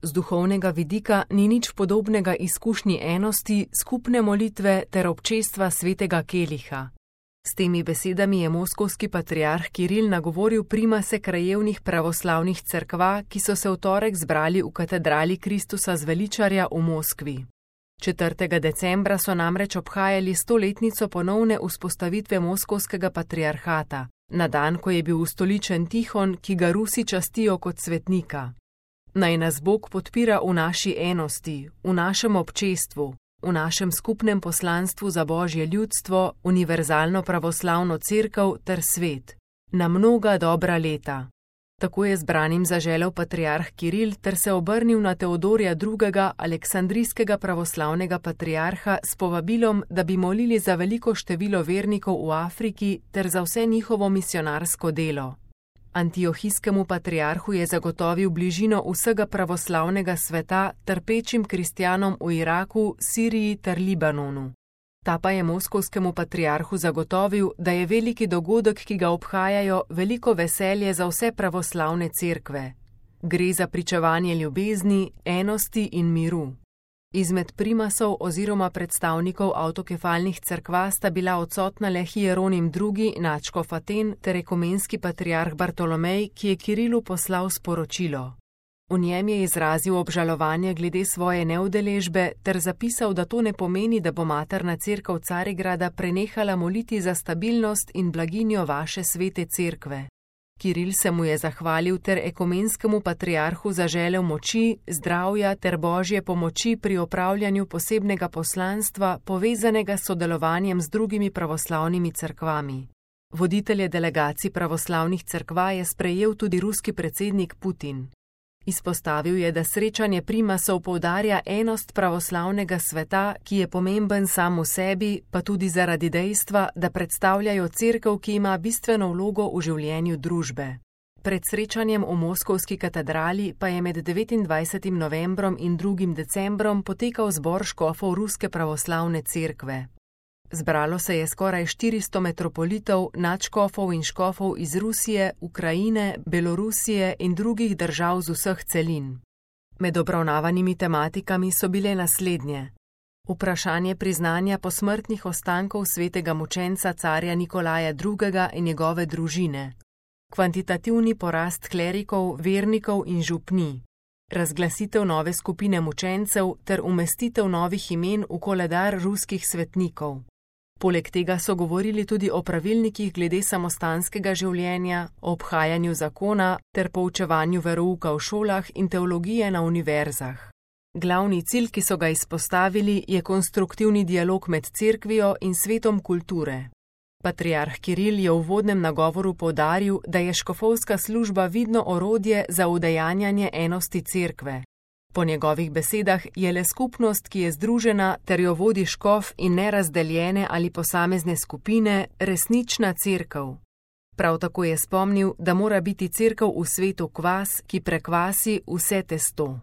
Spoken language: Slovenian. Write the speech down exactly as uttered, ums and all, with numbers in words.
Z duhovnega vidika ni nič podobnega izkušnji enosti, skupne molitve ter občestva svetega keliha. S temi besedami je moskovski patriarh Kiril nagovoril primase krajevnih pravoslavnih cerkva, ki so se v torek zbrali v katedrali Kristusa Zveličarja v Moskvi. četrtega decembra so namreč obhajali stoletnico ponovne vzpostavitve moskovskega patriarhata, na dan, ko je bil ustoličen Tihon, ki ga Rusi častijo kot svetnika. Naj nas Bog podpira v naši enosti, v našem občestvu, v našem skupnem poslanstvu za Božje ljudstvo, univerzalno pravoslavno cerkev ter svet, na mnoga dobra leta. Tako je zbranim zaželel patriarh Kiril ter se obrnil na Teodorja drugega. aleksandrijskega pravoslavnega patriarha s povabilom, da bi molili za veliko število vernikov v Afriki ter za vse njihovo misionarsko delo. Antiohijskemu patriarhu je zagotovil bližino vsega pravoslavnega sveta trpečim kristjanom v Iraku, Siriji ter Libanonu. Ta pa je moskovskemu patriarhu zagotovil, da je veliki dogodek, ki ga obhajajo, veliko veselje za vse pravoslavne cerkve. Gre za pričevanje ljubezni, enosti in miru. Izmed primasov oziroma predstavnikov avtokefalnih cerkva sta bila odsotna le Hieronim drugi. nadškof Aten ter ekumenski patriarh Bartolomej, ki je Kirilu poslal sporočilo. V njem je izrazil obžalovanje glede svoje neudeležbe ter zapisal, da to ne pomeni, da bo materna cerkev Carigrada prenehala moliti za stabilnost in blaginjo vaše svete cerkve. Kiril se mu je zahvalil ter ekumenskemu patriarhu zaželel moči, zdravja ter Božje pomoči pri opravljanju posebnega poslanstva, povezanega s sodelovanjem z drugimi pravoslavnimi cerkvami. Voditelje delegacij pravoslavnih cerkva je sprejel tudi ruski predsednik Putin. Izpostavil je, da srečanje primasov poudarja enost pravoslavnega sveta, ki je pomemben sam v sebi, pa tudi zaradi dejstva, da predstavljajo cerkev, ki ima bistveno vlogo v življenju družbe. Pred srečanjem v moskovski katedrali pa je med devetindvajsetim novembrom in drugim decembrom potekal zbor škofov Ruske pravoslavne cerkve. Zbralo se je skoraj štiristo metropolitov, nadškofov in škofov iz Rusije, Ukrajine, Belorusije in drugih držav z vseh celin. Med obravnavanimi tematikami so bile naslednje: vprašanje priznanja posmrtnih ostankov svetega mučenca carja Nikolaja drugega. in njegove družine, kvantitativni porast klerikov, vernikov in župnij, razglasitev nove skupine mučencev ter umestitev novih imen v koledar ruskih svetnikov. Poleg tega so govorili tudi o pravilnikih glede samostanskega življenja, o obhajanju zakona ter poučevanju verouka v šolah in teologije na univerzah. Glavni cilj, ki so ga izpostavili, je konstruktivni dialog med cerkvijo in svetom kulture. Patriarh Kiril je v uvodnem nagovoru poudaril, da je škofovska služba vidno orodje za udejanjanje enosti cerkve. Po njegovih besedah je le skupnost, ki je združena ter jo vodi škof in ne razdeljene ali posamezne skupine, resnična cerkev. Prav tako je spomnil, da mora biti cerkev v svetu kvas, ki prekvasi vse testo.